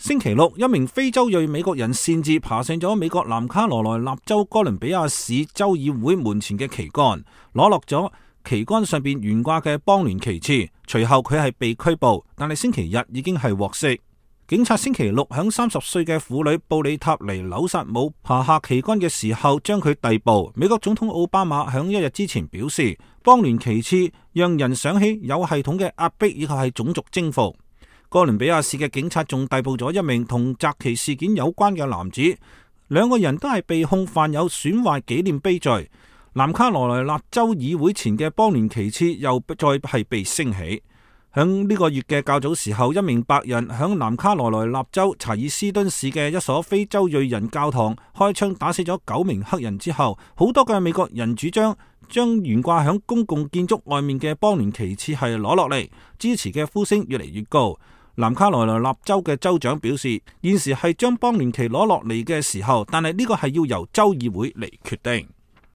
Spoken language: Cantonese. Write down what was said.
星期六，一名非洲裔美國人擅自爬上咗美國南卡羅來納州哥倫比亞市州議會門前嘅旗杆，攞落咗旗杆上邊懸掛嘅邦聯旗幟。隨後佢係被拘捕，但係星期日已經係獲釋。警察星期六響30歲嘅婦女布里塔尼紐薩姆爬下旗杆嘅時候將佢逮捕。美國總統奧巴馬響一日之前表示，邦聯旗幟讓人想起有系統嘅壓迫以及係種族征服。哥倫比亞市嘅警察仲逮捕咗一名同襲擊事件有關嘅男子，兩個人都係被控犯有損壞紀念碑罪。南卡羅來納州議會前嘅邦聯旗幟又再係被升起。響呢個月嘅較早時候，一名白人響南卡羅來納州查爾斯敦市嘅一所非洲裔人教堂開槍打死咗9名黑人之後，好多嘅美國人主張將懸掛響公共建築外面嘅邦聯旗幟係攞落嚟，支持嘅呼聲越嚟越高。南卡羅來納州嘅州長表示，現時係將邦聯旗攞落嚟嘅時候，但係呢個係要由州議會嚟決定。